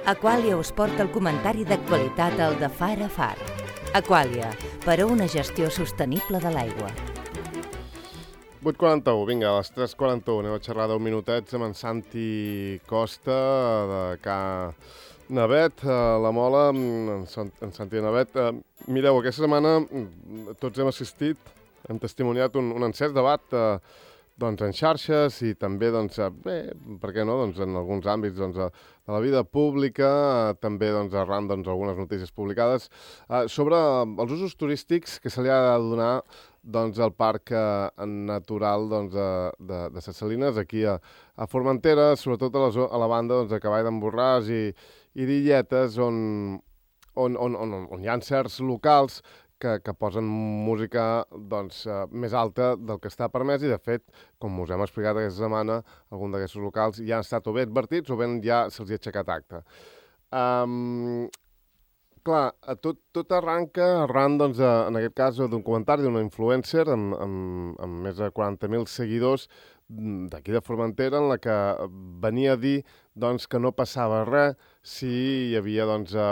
Aquàlia us porta el comentari d'actualitat al de Far a Far. Aquàlia, per a una gestió sostenible de l'aigua. 8:41, vinga, a les 3:41 anem a xerrar 10 minutets amb en Santi Costa de Ca Navet, la Mola, en Santi Navet. Mireu, aquesta setmana tots hem assistit, hem testimoniat un encès debat en xarxes i també, bé, per què no, en alguns àmbits de la vida pública, també arran d'algunes notícies publicades, sobre els usos turístics que se li ha de donar al Parc Natural de Ses Salines, aquí a Formentera, sobretot a la banda de Cavall d'en Borràs i d'Illetes, on hi ha certs locals que posen música més alta del que està permès i, de fet, com us hem explicat aquesta setmana, alguns d'aquests locals ja han estat o bé advertits o bé ja se'ls ha aixecat acte. Clar, tot arranca arran, en aquest cas, d'un comentari d'una influencer amb més de 40.000 seguidors d'aquí de Formentera, en la que venia a dir que no passava res si hi havia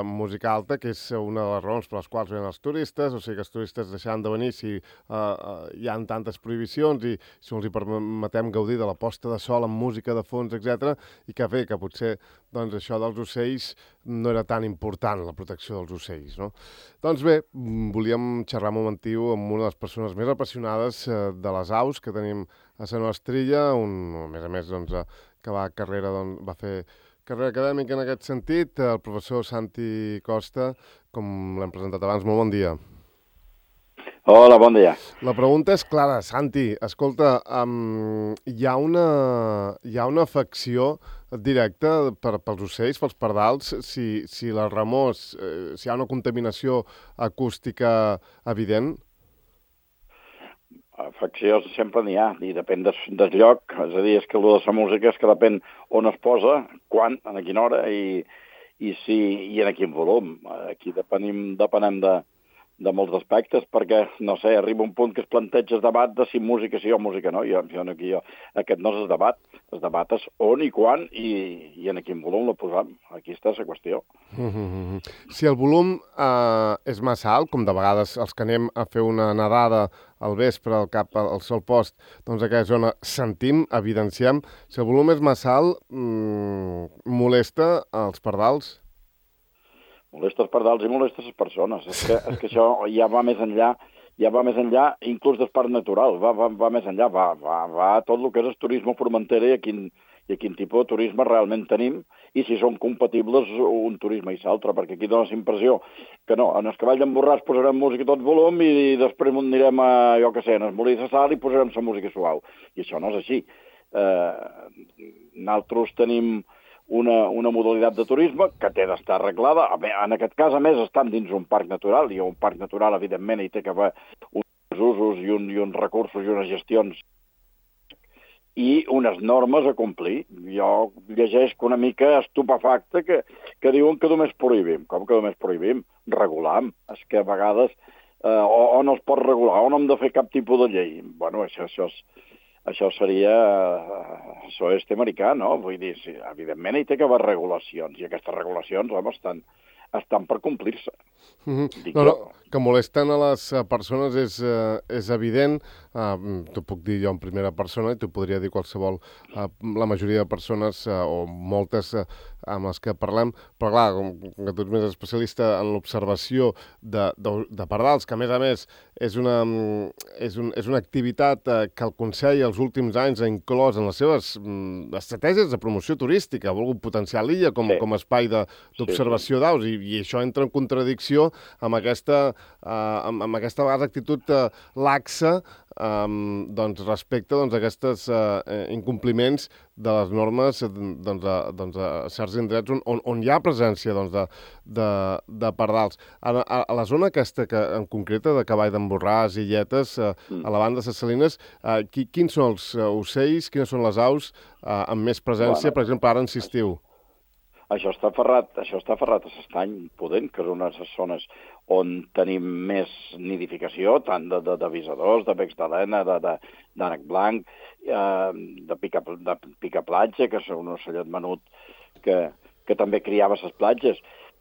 música alta, que és una de les raons per les quals venen els turistes, o sigui que els turistes deixaran de venir si hi ha tantes prohibicions i si els hi permetem gaudir de la posta de sol amb música de fons, etc. I que bé, que potser això dels ocells no era tan important, la protecció dels ocells, no? Doncs bé, volíem xerrar un momentiu amb una de les persones més apassionades de les aus que tenim a la nostra illa, a més, que va fer carrera acadèmica en aquest sentit, el professor Santi Costa, com l'hem presentat abans. Molt bon dia. Hola, bon dia. La pregunta és clara, Santi. Escolta, hi ha una afecció directa pels ocells, pels pardals, si la remors, si hi ha una contaminació acústica evident? Afecció sempre n'hi ha, i depèn del lloc. És a dir, és que el de la música és que depèn on es posa, quan, a quina hora i en quin volum. Aquí depenem de molts aspectes, perquè, no sé, arriba un punt que es planteja el debat de si música sí o música no. Aquest no és el debat. El debat és on i quan i en quin volum la posam. Aquí està la qüestió. Si el volum és massa alt, com de vegades els que anem a fer una nedada al vespre al sol post, aquella zona sentim, evidenciem. Si el volum és massa alt, molesta els pardals? Molesta els pardals i molesta les persones. És que això ja va més enllà, inclús del parc natural, va més enllà, va a tot el que és el turisme formentera i a quin tipus de turisme realment tenim i si són compatibles un turisme i l'altre, perquè aquí dona la impressió que no, en el Cavall d'en Borràs posarem música a tot volum i després anirem a, jo què sé, en el Molí de Sal i posarem la música suau. I això no és així. Nosaltres tenim una modalitat de turisme que té d'estar arreglada. En aquest cas, a més, estan dins un parc natural, i un parc natural, evidentment, hi té que haver uns usos i uns recursos i unes gestions i unes normes a complir. Jo llegeixo una mica estupefacte que diuen que només prohibim. Com que només prohibim? Regulam. És que a vegades o no es pot regular o no hem de fer cap tipus de llei. Bueno, això seria... Això és americà, no? Vull dir, sí, evidentment hi té que haver regulacions, i aquestes regulacions, home, estan per complir-se. Que molesten a les persones és evident. T'ho puc dir jo en primera persona i t'ho podria dir qualsevol, la majoria de persones o moltes amb les que parlem, però clar, com que tu ets més especialista en l'observació de pardals, que a més és una activitat que el Consell els últims anys ha inclòs en les seves estratègies de promoció turística, ha volgut potenciar l'illa com a espai d'observació d'aus, i això entra en contradicció amb aquesta vegada actitud laxa respecte a aquests incompliments de les normes a certs indrets on hi ha presència de pardals. A la zona aquesta, en concreta, de Cavall d'en Borràs i Illetes, a la banda de Ses Salines, quins són els ocells, quines són les aus amb més presència, per exemple, ara en estiu? Això està aferrat a l'estany pudent, que és una de les zones on tenim més nidificació, tant d'avisadors, de becs d'alena, d'ànec blanc, de picaplatja, que és un ocellet menut que que també criava les platges.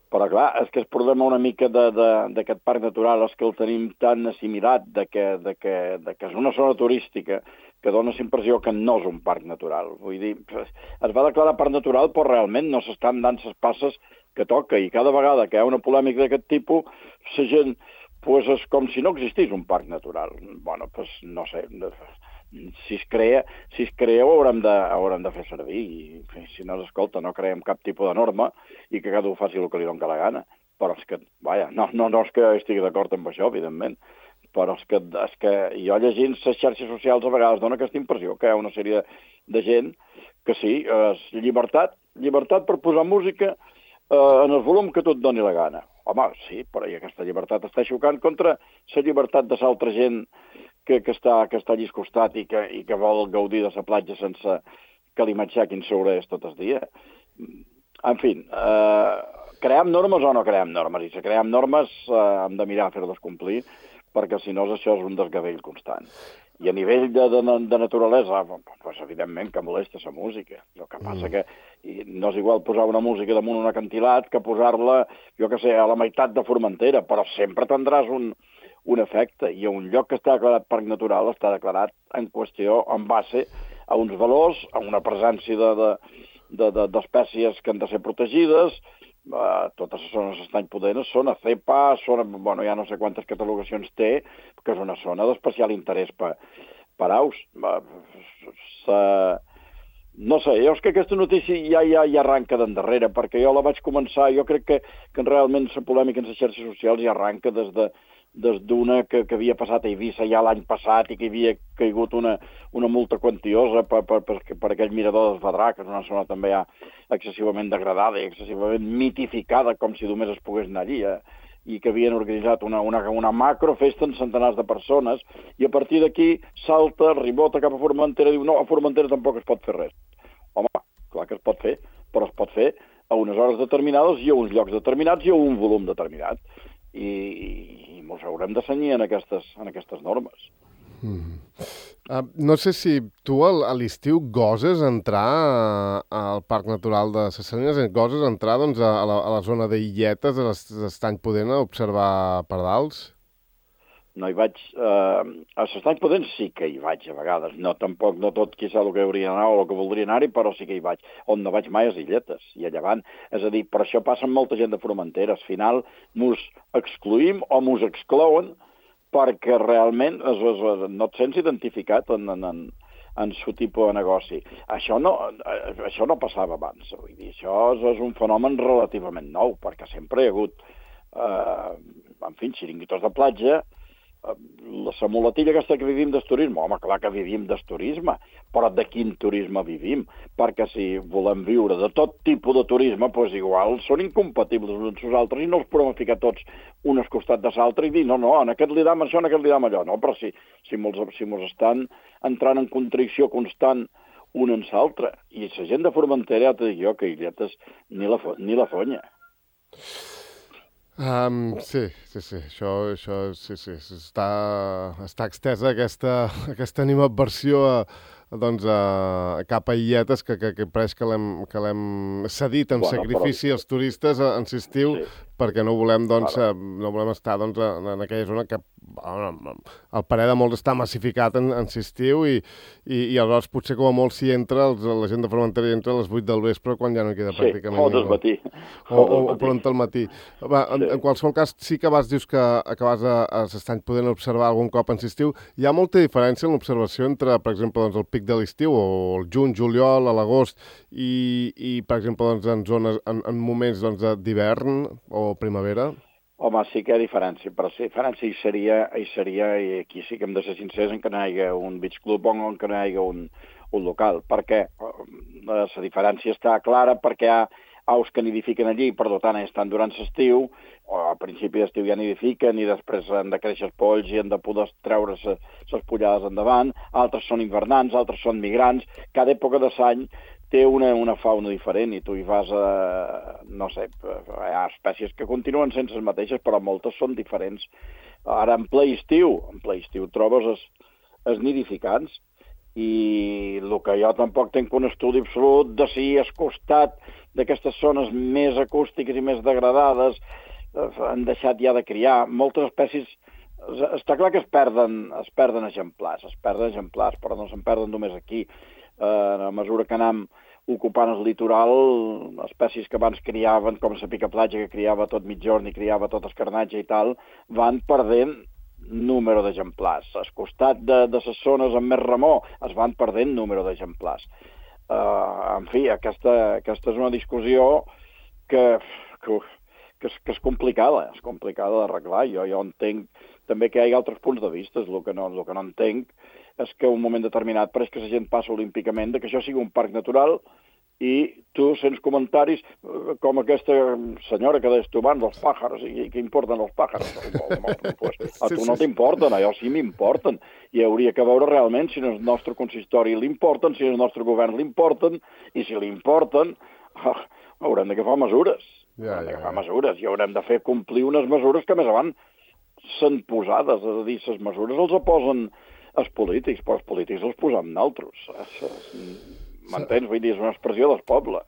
Però, clar, és que el problema una mica d'aquest parc natural és que el tenim tan assimilat de que és una zona turística que dona la impressió que no és un parc natural. Vull dir, es va declarar parc natural, però realment no s'estan dant les passes que toca, i cada vegada que hi ha una polèmica d'aquest tipus, la gent, pues, és com si no existís un parc natural. Bueno, pues, no sé, si es crea ho haurem de fer servir, i si no s'escolta, no creem cap tipus de norma i que cada un faci el que li doni la gana. Però és que, vaja, no és que estigui d'acord amb això, evidentment, però és que jo llegint les xarxes socials a vegades dona aquesta impressió que hi ha una sèrie de gent que sí, és llibertat per posar música en el volum que tu et doni la gana. Home, sí, però aquesta llibertat està xocant contra la llibertat de l'altra gent que està allà al costat i que vol gaudir de la platja sense que li matxaquin sobre tot el dia. En fi, creem normes o no creem normes? I si creem normes hem de mirar a fer-les complir, perquè si no això és un desgavell constant. I a nivell de naturalesa, pues, evidentment que molesta la música. El que passa que no és igual posar una música damunt un acantilat que posar-la, jo què sé, a la meitat de Formentera, però sempre tindràs un efecte, i un lloc que està declarat parc natural està declarat en qüestió en base a uns valors, a una presència d'espècies que han de ser protegides. Totes les zones d'estany pudents són a CEPA, bueno, ja no sé quantes catalogacions té, que és una zona d'especial interès per aus. No sé, jo és que aquesta notícia ja arranca d'endarrere, perquè jo la vaig començar, jo crec que realment la polèmica en les xarxes socials ja arranca des d'una que havia passat a Eivissa ja l'any passat i que havia caigut una multa quantiosa per aquell mirador del Fadrà, que és una zona també ja excessivament degradada i excessivament mitificada, com si només es pogués anar allí, i que havien organitzat una macrofesta amb centenars de persones, i a partir d'aquí salta, ribota cap a Formentera i diu no, a Formentera tampoc es pot fer res. Home, clar que es pot fer, però es pot fer a unes hores determinades i a uns llocs determinats i a un volum determinat. I ens haurem de cenyir en aquestes normes. No sé si tu a l'estiu goses entrar al Parc Natural de Ses Salines, goses entrar doncs, a la zona d'Illetes, a l'Estany Pudent, a observar pardals? No hi vaig... A l'Estany Pudent sí que hi vaig a vegades. No tot quizà el que hauria d'anar o el que voldria anar-hi, però sí que hi vaig. On no vaig mai a les Illetes i a Llevant. És a dir, per això passa amb molta gent de Formentera. Al final mos excluïm o mos exclouen perquè realment no et sents identificat en el tipus de negoci. Això no passava abans. Vull dir, això és un fenomen relativament nou, perquè sempre hi ha hagut, en fi, xiringuitos de platja. La muletilla aquesta que vivim del turisme, home, clar que vivim del turisme, però de quin turisme vivim? Perquè si volem viure de tot tipus de turisme, doncs igual són incompatibles uns amb els altres i no els podem ficar tots un al costat de l'altre i dir, no, en aquest li dam això, en aquest li dam allò. No, però si mos estan entrant en contradicció constant un en l'altre. I la gent de Formentera, ja t'ho dic jo, que Illetes ni la fonya. Sí, això sí, està extesa aquesta animadversió cap a Illetes que pareix que l'hem cedit amb sacrifici als turistes en l'estiu, perquè no volem estar en aquella zona que al parer de molts està massificat en l'estiu i aleshores potser com a molt s'hi entra, la gent de Formentera hi entra a les 8 del vespre quan ja no queda pràcticament ningú. O del matí. O pront al matí. En qualsevol cas, sí que dius que vas a l'Estany Pudent observar algun cop en l'estiu. Hi ha molta diferència en l'observació entre, per exemple, el pic de l'estiu o el juny, juliol, a l'agost i per exemple, en zones, en moments d'hivern o primavera? Home, sí que hi ha diferència, però sí, diferència hi seria, i aquí sí que hem de ser sincers, en que no hi hagi un beach club o en que no hi hagi un local, perquè la diferència està clara perquè hi ha aus que nidifiquen allí, per tant estan durant l'estiu, o a principi d'estiu ja nidifiquen i després han de créixer els polls i han de poder treure les pollades endavant, altres són hivernants, altres són migrants, cada època de l'any té una fauna diferent i tu hi vas no sé, hi ha espècies que continuen sense les mateixes, però moltes són diferents. Ara, en ple estiu trobes els nidificants i el que jo tampoc tinc un estudi absolut de si al costat d'aquestes zones més acústiques i més degradades han deixat ja de criar. Moltes espècies, està clar que es perden exemplars, però no se'n perden només aquí. A mesura que anem ocupant el litoral, espècies que abans criaven, com la picaplatja, que criava tot mitjorn i criava tot escarnatge i tal, van perdent número d'exemplars. Al costat de les zones amb més remor es van perdent número d'exemplars. En fi, aquesta és una discussió que és complicada d'arreglar. Jo entenc també que hi ha altres punts de vista. El que no entenc és que en un moment determinat pareix que la gent passa olímpicament de que això sigui un parc natural i tu sents comentaris com aquesta senyora que deies tu abans, els pàjars, i què importen els pàjars? A tu no t'importen, a jo sí m'importen. I hauria que veure realment si el nostre consistori l'importen, si el nostre govern l'importen, i si l'importen, haurem d'agafar mesures. I haurem de fer complir unes mesures que més avant són posades. És a dir, les mesures els posen els polítics, però els polítics els posem nosaltres. M'entens? Vull dir, és una expressió del poble.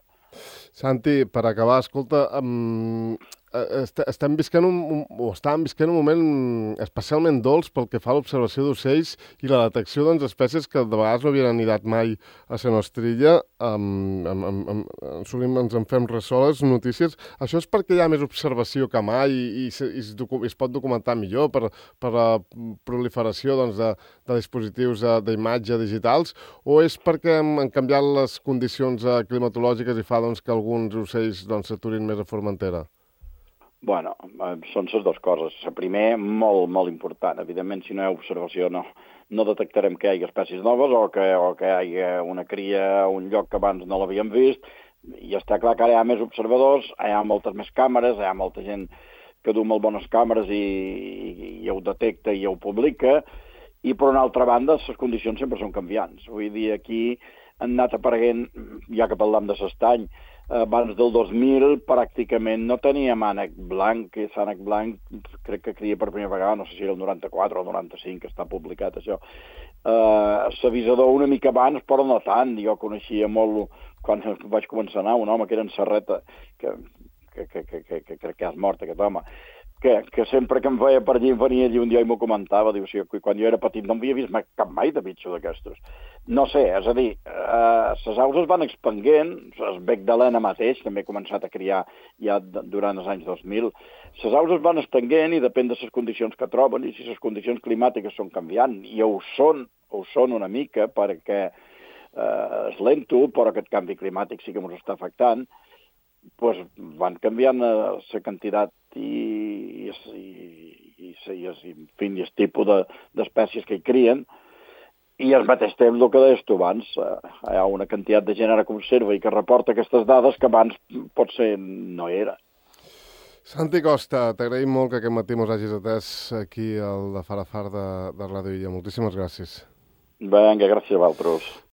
Santi, per acabar, escolta, estàvem visquent un moment especialment dolç pel que fa a l'observació d'ocells i la detecció d'espècies que de vegades no havien anidat mai a la nostra illa. Sovint ens en fem ressò les notícies. Això és perquè hi ha més observació que mai i es pot documentar millor per la proliferació de dispositius d'imatge digitals, o és perquè han canviat les condicions climatològiques i fa que alguns ocells s'aturin més a Formentera? Bueno, són les dues coses. La primera, molt, molt important. Evidentment, si no hi ha observació, no detectarem que hi hagi espècies noves o que hi hagi una cria a un lloc que abans no l'havíem vist. I està clar que ara hi ha més observadors, hi ha moltes més càmeres, hi ha molta gent que du molt bones càmeres i ho detecta i ho publica. I, per una altra banda, les condicions sempre són canviants. Vull dir, aquí han anat apareguent, ja que parlam de l'estany, abans del 2000 pràcticament no teníem ànec blanc, i l'ànec blanc crec que cria per primera vegada, no sé si era el 94 o el 95 que està publicat això. L'avisador una mica abans, però no tant. Jo coneixia molt, quan vaig començar a anar, un home que era en Serreta, que crec que és mort aquest home, que sempre que em veia per allí venia allí un dia i m'ho comentava, diu, si quan jo era petit no havia vist cap mai de bitxo d'aquestos. No sé, és a dir, les aus es van expanguent, el bec d'Helena mateix també ha començat a criar ja durant els anys 2000, les aus es van estenguent i depèn de les condicions que troben i si les condicions climàtiques són canviant, i ho són una mica perquè és lento, però aquest canvi climàtic sí que ens està afectant, doncs van canviant la quantitat i el tipus d'espècies que hi crien, i al mateix temps, el que deies tu abans, hi ha una quantitat de gent ara que observa i que reporta aquestes dades que abans potser no era. Santi Costa, t'agraïm molt que aquest matí mos hagis atès aquí al de Far a Far de Ràdio Illa. Moltíssimes gràcies. Vinga, gràcies a vosaltres.